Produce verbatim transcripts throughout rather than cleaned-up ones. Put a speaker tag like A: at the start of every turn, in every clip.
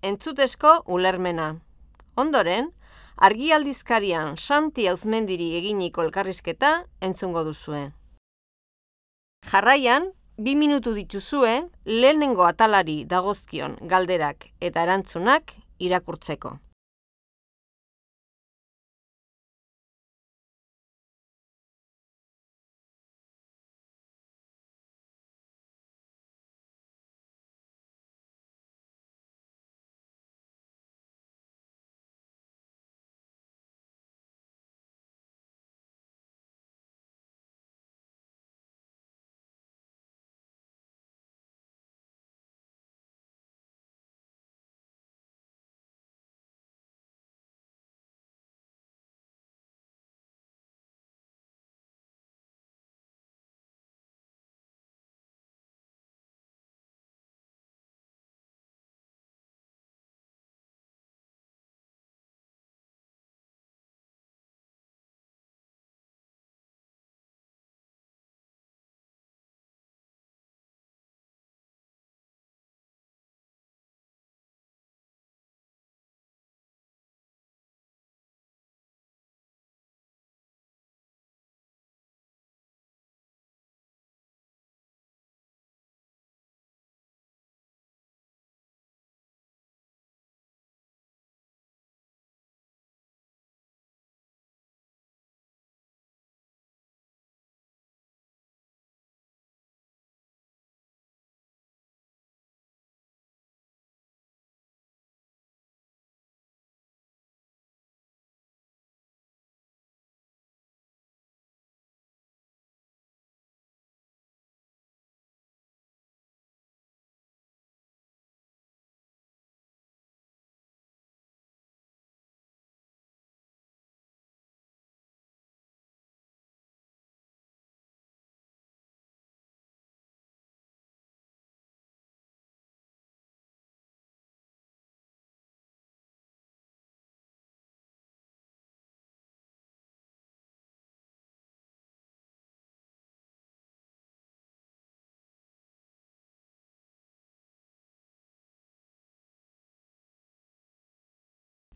A: entzutesko ulermena. Ondoren, argi aldizkarian Santi Auzmendiri eginiko elkarrizketa entzungo duzue. Jarraian, bi minutu dituzue lehenengo atalari dagozkion galderak eta erantzunak irakurtzeko.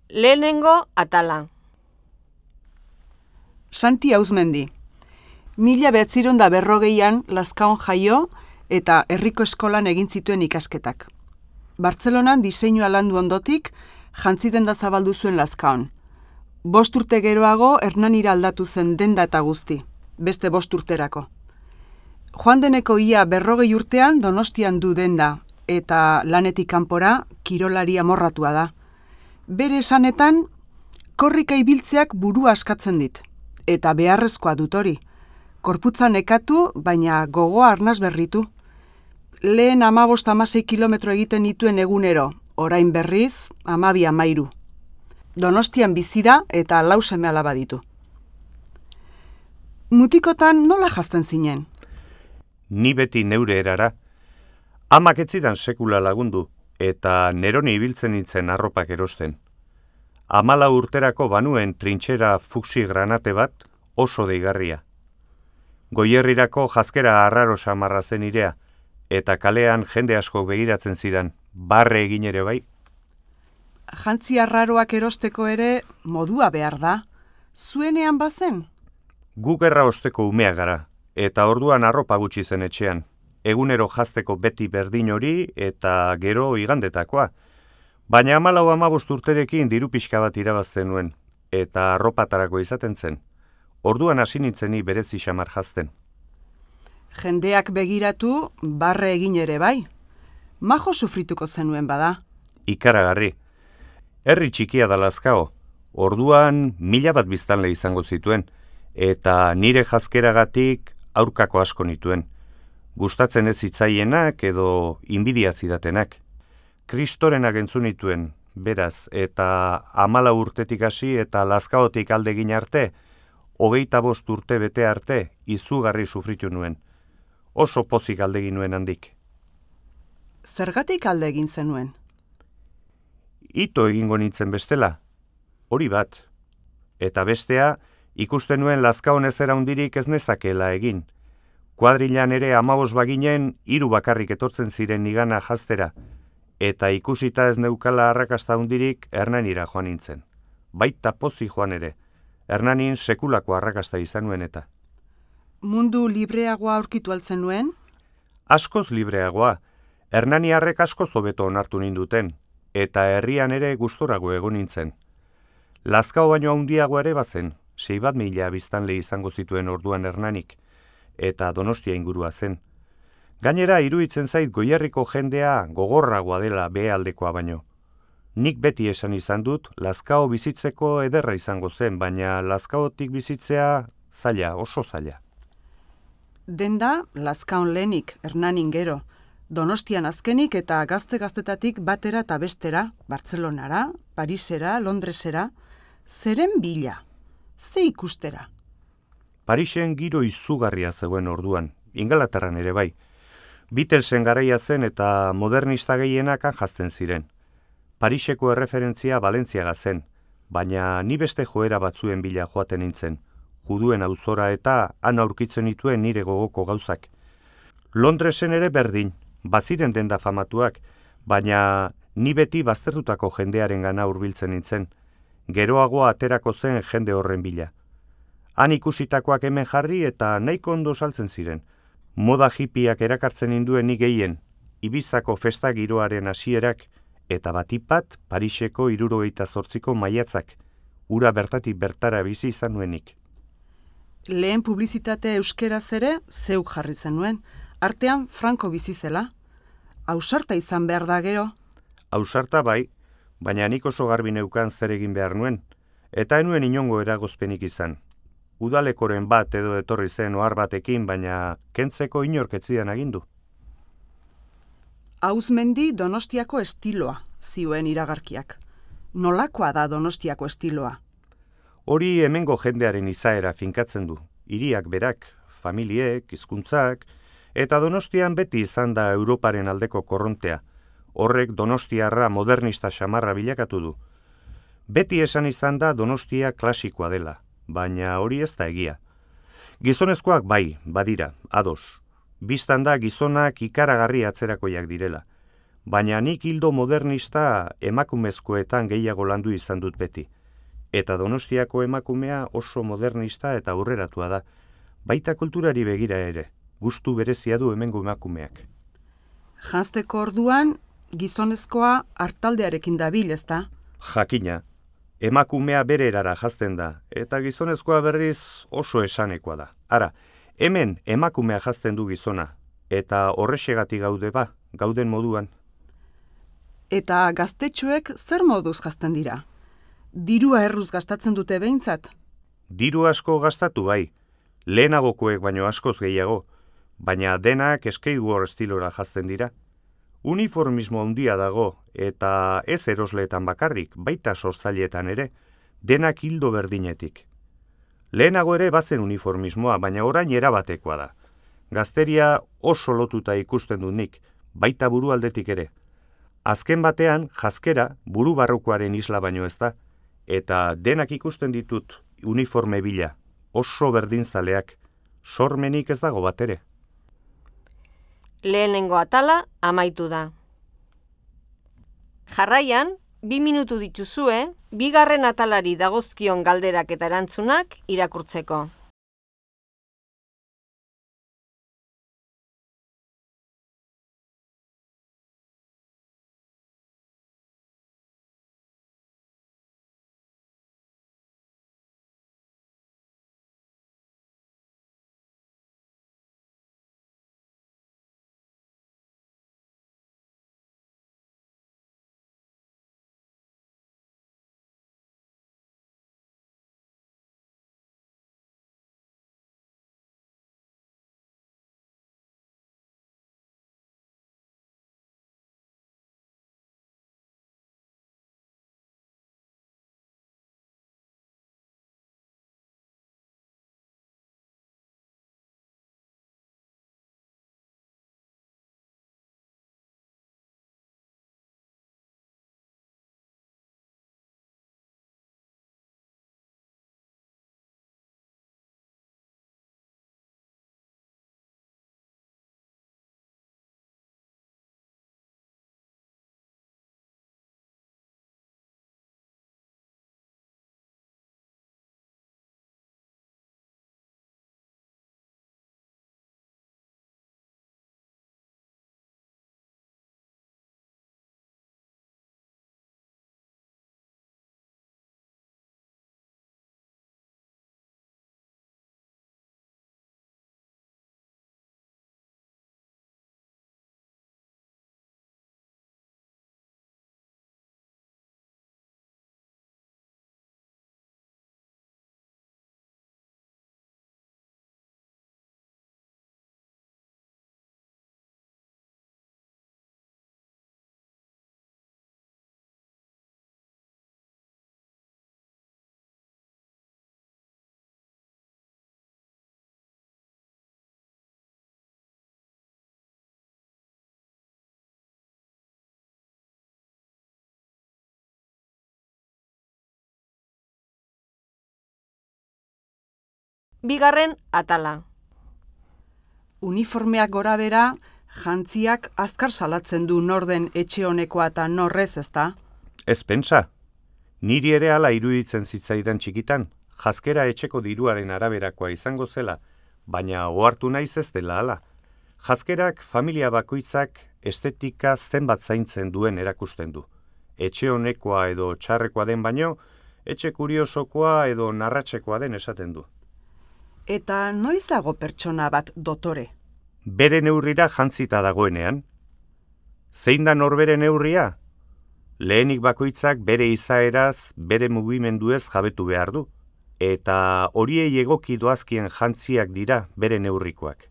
A: Lehenengo atala.
B: Santi Auzmendi. Mila behatziron da berrogeian Lazkaon jaio eta herriko eskolan egin zituen ikasketak. Bartzelonan diseinua landu ondotik, jantzi denda zabaldu zuen Lazkaon. Bost urte geroago Hernanira aldatu zen denda eta guzti, beste bost urterako. Joan deneko ia berrogei urtean Donostian du denda, eta lanetik kanpora kirolari amorratua da. Bere esanetan, korrika ibiltzeak burua askatzen dit, eta beharrezkoa dut hori. Korputza nekatu, baina gogoa arnaz berritu. Lehen hamabost hamasei kilometro egiten dituen egunero, orain berriz, hamabi hamairu. Donostian bizi da eta lau seme alaba ditu. Mutikotan nola jazten zinen?
C: Ni beti neure erara. Amak ez zidan sekula lagundu, eta neroni ibiltzen nintzen arropak erosten. Hamala urterako banuen trintxera fuksi granate bat oso deigarria. Goierrirako jazkera arraro samarra zen irea, eta kalean jende asko begiratzen zidan, barre egin ere bai.
B: Jantzi arraroak erosteko ere modua behar da. Zuenean bazen?
C: Gu gerra osteko umea gara, eta orduan arropa gutxi zen etxean. Egunero jazteko beti berdin hori eta gero igandetakoa. Baina hamalau hamabost urterekin diru pixka bat irabazten nuen, eta arropatarako izaten zen. Orduan hasi nintzeni berezi xamar jazten.
B: Jendeak begiratu, barre egin ere bai. Majo sufrituko zenuen bada.
C: Ikaragarri. Herri txikia da Lazkao. Orduan mila bat biztanle izango zituen, eta nire jazkeragatik aurkako asko nituen. Gustatzen ez hitzaienak edo inbidia zidatenak. Kristorenak entzun nituen, beraz, eta hamala urtetik hasi eta Lazkaotik alde egin arte, hogeita bost urte bete arte, izugarri sufritu nuen. Oso pozik alde egin nuen handik.
B: Zergatik alde egin zenuen?
C: Ito egingo nintzen bestela, hori bat. Eta bestea, ikusten nuen Lazkaon ezera hundirik ez nezakela egin. Kuadrilan ere hamabost baginen hiru bakarrik etortzen ziren nigana jaztera, eta ikusita ez neukala arrakasta hundirik Hernanira joan nintzen. Baita pozi joan ere, Hernanin sekulako arrakasta izan nuen eta.
B: Mundu libreagoa aurkitu altzen nuen?
C: Askoz libreagoa, Hernaniarrek askoz hobeto onartu ninduten, eta herrian ere gustorago egon nintzen. Lazkao baino handiago ere bazen, sei bat mila biztanle izango zituen orduan Hernanik, eta Donostia ingurua zen. Gainera, iruditzen zait Goierriko jendea gogorragoa dela behealdekoa baino. Nik beti esan izan dut, Lazkao bizitzeko ederra izango zen, baina Lazkaotik bizitzea zaila, oso zaila.
B: Denda, Lazkaon lehenik, Hernanin gero, Donostian azkenik eta gazte-gaztetatik batera eta bestera, Bartzelonara, Parisera, Londresera, zeren bila, ze ikustera?
C: Parisen giro izugarria zegoen orduan, Ingalaterran ere bai. Beatlesen garaia zen eta modernista gehienak han jazten ziren. Pariseko erreferentzia Valentziaga zen, baina ni beste joera batzuen bila joaten nintzen, juduen auzora eta han aurkitzen nituen nire gogoko gauzak. Londresen ere berdin, baziren denda famatuak, baina ni beti baztertutako jendearen gana hurbiltzen nintzen, geroago aterako zen jende horren bila. Han ikusitakoak hemen jarri eta nahiko ondo saltzen ziren. Moda hippiak erakartzen ninduen ni gehien, Ibizako festa giroaren hasierak eta batipat Pariseko hirurogeita zortziko maiatzak, ura bertatik bertara bizi izan nuenik.
B: Lehen publizitate euskeraz ere zeuk jarri zenuen, artean Franco bizi zela. Ausarta izan behar da gero?
C: Ausarta bai, baina nik oso garbi neukan zer egin behar nuen, eta enuen inongo eragozpenik izan. Udalekoren bat edo etorri zen ohar batekin, baina kentzeko inork ez zidan agindu.
B: Auzmendi Donostiako estiloa, zioen iragarkiak. Nolakoa da Donostiako estiloa?
C: Hori hemengo jendearen izaera finkatzen du. Hiriak berak, familiek, hizkuntzak, eta Donostian beti izan da Europaren aldeko korrontea. Horrek Donostiarra modernista xamarra bilakatu du. Beti esan izan da Donostia klasikoa dela, baina hori ez da egia. Gizonezkoak bai, badira, ados. Bistan da gizonak ikaragarri atzerakoiak direla, baina nik hildo modernista emakumezkoetan gehiago landu izan dut beti. Eta Donostiako emakumea oso modernista eta aurreratua da, baita kulturari begira ere, gustu berezia du hemengo emakumeak.
B: Janzteko orduan, gizonezkoa hartaldearekin dabil, ezta?
C: Jakina, emakumea bere erara jazten da, eta gizonezkoa berriz oso esanekoa da. Ara, hemen emakumea jazten du gizona, eta horrexegatik gaude ba, gauden moduan.
B: Eta gaztetxoek zer moduz jazten dira? Dirua erruz gastatzen dute behintzat?
C: Diru asko gastatu bai, lehenagokoek baino askoz gehiago, baina denak skateboard estilora jazten dira. Uniformismo handia dago, eta ez erosleetan bakarrik, baita sortzaileetan ere, denak hildo berdinetik. Lehenago ere bazen uniformismoa, baina orain erabatekoa da. Gazteria oso lotuta ikusten dut nik, baita burualdetik ere. Azken batean, jazkera buru barrukoaren isla baino ez da, eta denak ikusten ditut uniforme bila, oso berdinzaleak, sormenik ez dago bat ere.
A: Lehenengo atala amaitu da. Jarraian, bi minutu dituzue, bigarren atalari dagozkion galderak eta erantzunak irakurtzeko. Bigarren atala.
B: Uniformeak gora bera, jantziak azkar salatzen du norden etxe honekoa eta norrez, ezta?
C: Ez pentsa. Niri ere hala iruditzen zitzaidan txikitan, janzkera etxeko diruaren araberakoa izango zela, baina ohartu naiz ez dela hala. Janzkerak familia bakoitzak estetika zenbat zaintzen duen erakusten du. Etxe honekoa edo txarrekoa den baino, etxe kuriosokoa edo narratxekoa den esaten du.
B: Eta noiz dago pertsona bat dotore?
C: Bere neurrira jantzita dagoenean. Zein da norbere neurria? Lehenik bakoitzak bere izaeraz, bere mugimenduez jabetu behar du. Eta horiei egoki doazkien jantziak dira bere neurrikoak.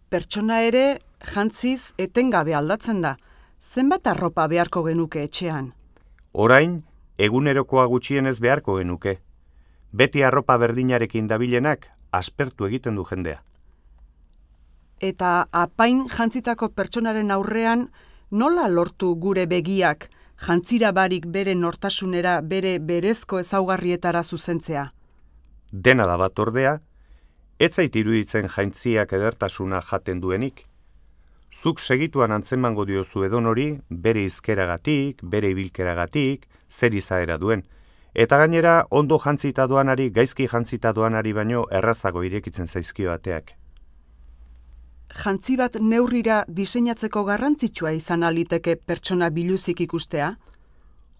B: Pertsona ere jantziz etengabe aldatzen da. Zenbat arropa beharko genuke etxean?
C: Orain, egunerokoa gutxienez beharko genuke. Beti arropa berdinarekin dabilenak aspertu egiten du jendea.
B: Eta apain jantzitako pertsonaren aurrean nola lortu gure begiak jantzira barik bere nortasunera, bere berezko ezaugarrietara zuzentzea?
C: Dena da bat ordea, ez zait iruditzen jaintziak edertasuna jaten duenik. Zuk segituan antzemango diozu edonori, bere izkeragatik, bere ibilkeragatik, zer izaera duen. Eta gainera, ondo jantzita doanari, gaizki jantzita doanari baino errazago irekitzen zaizkio ateak.
B: Jantzi bat neurrira diseinatzeko garrantzitsua izan aliteke pertsona biluzik ikustea?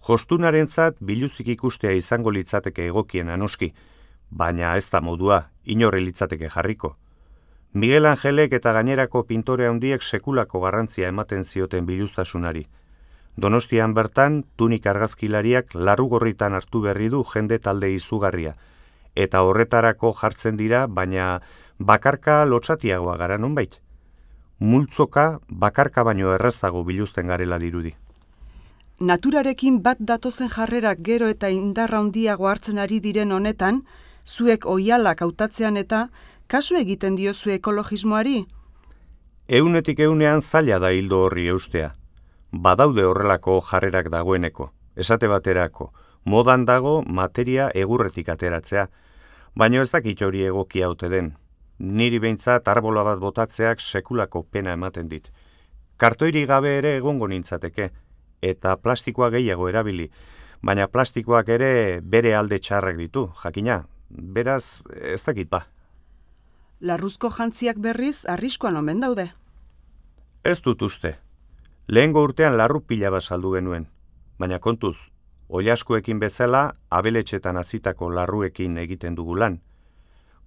C: Jostunarentzat biluzik ikustea izango litzateke egokien anoski, baina ez da modua, inorre litzateke jarriko. Miguel Angelek eta gainerako pintore handiek sekulako garrantzia ematen zioten biluztasunari. Donostian bertan, tunik argazkilariak larrugorritan hartu berri du jende talde izugarria, eta horretarako jartzen dira, baina bakarka lotsatiagoa gara nonbait. Multzoka bakarka baino errazago biluzten garela dirudi.
B: Naturarekin bat datozen jarrerak gero eta indarra handiago hartzen ari diren honetan, zuek oihalak hautatzean eta kasu egiten diozu ekologismoari?
C: Eunetik eunean zaila da hildo horri eustea. Badaude horrelako jarrerak dagoeneko, esate baterako, modan dago materia egurretik ateratzea, baina ez dakit hori egokia ote den. Niri behintzat arbola bat botatzeak sekulako pena ematen dit. Kartoiri gabe ere egongo nintzateke, eta plastikoa gehiago erabili, baina plastikoak ere bere alde txarrak ditu, jakina, beraz ez dakit ba.
B: Larruzko jantziak berriz arriskuan omen daude.
C: Ez dut uste. Lehengo urtean larru pila bat saldu genuen, baina kontuz, oilaskuekin bezala abeletxetan hazitako larruekin egiten dugu lan.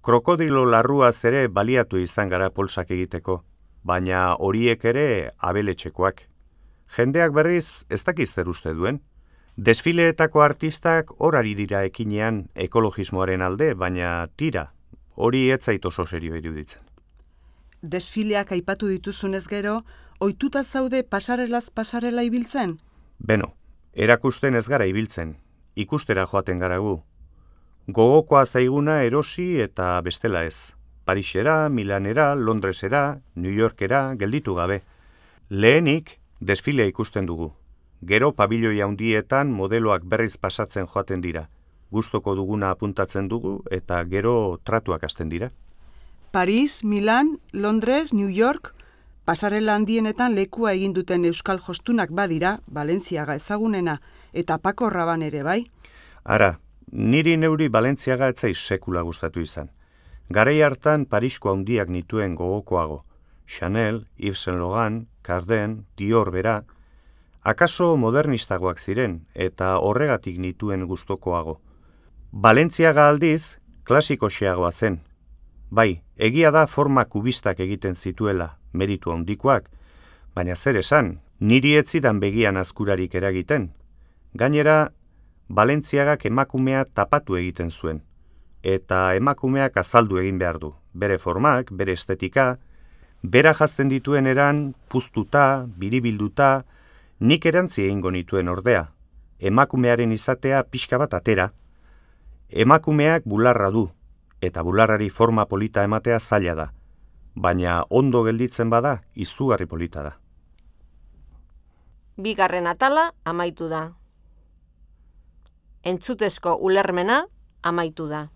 C: Krokodilo larruaz ere baliatu izan gara polsak egiteko, baina horiek ere abeletxekoak. Jendeak berriz ez dakiz zer uste duen. Desfileetako artistak horari dira ekinean ekologismoaren alde, baina tira, hori ez zait oso serio iruditzen.
B: Desfileak aipatu dituzunez gero, ohituta zaude pasarelaz pasarela ibiltzen?
C: Beno, erakusten ez gara ibiltzen, ikustera joaten gara gu. Gogokoa zaiguna erosi eta bestela ez. Parisera, Milanera, Londresera, New Yorkera, gelditu gabe. Lehenik, desfilea ikusten dugu. Gero pabilioi handietan modeloak berriz pasatzen joaten dira. Gustoko duguna apuntatzen dugu eta gero tratuak hasten dira.
B: Paris, Milan, Londres, New York, pasarela handienetan lekua egin duten euskal jostunak badira, Balentziaga ezagunena, eta Paco Rabanne ere bai.
C: Ara, niri neuri Balentziaga etzai sekula gustatu izan. Garai hartan Parisko handiak nituen gogokoago. Chanel, Yves Saint Laurent, Cardin, Dior bera, akaso modernistagoak ziren eta horregatik nituen gustokoago. Balentziaga aldiz, klasikoxeagoa zen. Bai, egia da forma kubistak egiten zituela, meritu handikoak, baina zer esan, niri ez zidan begian azkurarik eragiten. Gainera, Balentziagak emakumea tapatu egiten zuen, eta emakumeak azaldu egin behar du, bere formak, bere estetika, bera jazten dituen eran, puztuta, biribilduta, nik erantzi egingo nituen ordea, emakumearen izatea pixka bat atera. Emakumeak bularra du, eta bularrari forma polita ematea zaila da, baina ondo gelditzen bada, izugarri polita da.
A: Bigarren atala amaitu da. Entzutezko ulermena amaitu da.